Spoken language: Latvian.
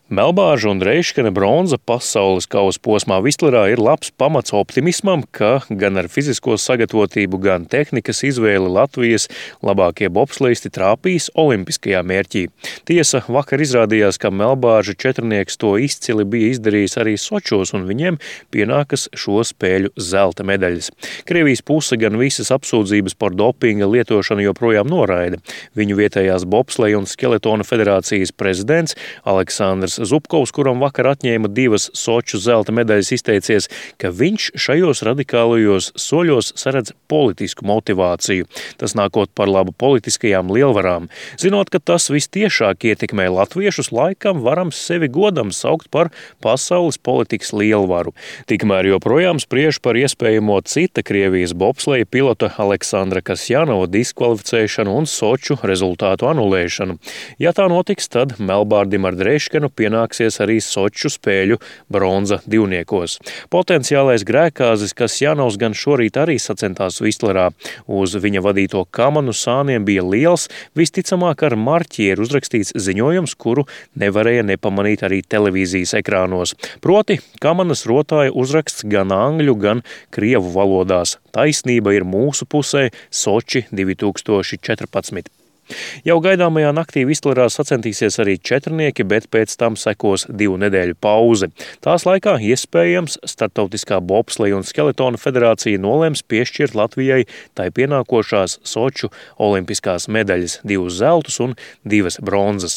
Melbārža un Reiškene bronza pasaules kausa posmā Vistlerā ir labs pamats optimismam, ka gan ar fizisko sagatavotību, gan tehnikas izvēli Latvijas labākie bobsleisti trāpīs olimpiskajā mērķī. Tiesa, vakar izrādījās, ka Melbārža četrnieks to izcili bija izdarījis arī Sočos, un viņiem pienākas šo spēļu zelta medaļas. Krievijas puse gan visas apsūdzības par dopinga lietošanu joprojām noraida. Viņu vietējās bobsleja un skeletona federācijas prezidents Aleksandrs Zubkovs, kuram vakar atņēma 2 Soču zelta medaļas, izteicies, ka viņš šajos radikālajos soļos saredz politisku motivāciju. Tas nākot par labu politiskajām lielvarām. Zinot, ka tas vistiešāk ietekmē latviešus, laikam varam sevi godam saukt par pasaules politikas lielvaru. Tikmēr joprojām spriež par iespējamo cita Krievijas bobsleja pilota Aleksandra Kasjanova diskvalificēšanu un Soču rezultātu anulēšanu. Ja tā notiks, tad Melbārdim ar Reiškenu pienāksies arī Soču spēļu bronza divniekos. Potenciālais grēkāzis Kasjanovs gan šorīt arī sacentās Vistlerā. Uz viņa vadīto Kamanu sāniem bija liels, visticamāk ar marķieru uzrakstīts ziņojums, kuru nevarēja nepamanīt arī televīzijas ekrānos. Proti, Kamanas rotāja uzraksts gan angļu, gan krievu valodās. Taisnība ir mūsu pusē, Soči 2014. Jau gaidāmajā naktī Vistlerā sacentīsies arī četrnieki, bet pēc tam sekos 2 nedēļu pauze. Tās laikā iespējams Startautiskā bobsleja un skeletona federācija nolems piešķirt Latvijai tai pienākošās Soču olimpiskās medaļas, 2 zeltus un 2 bronzas.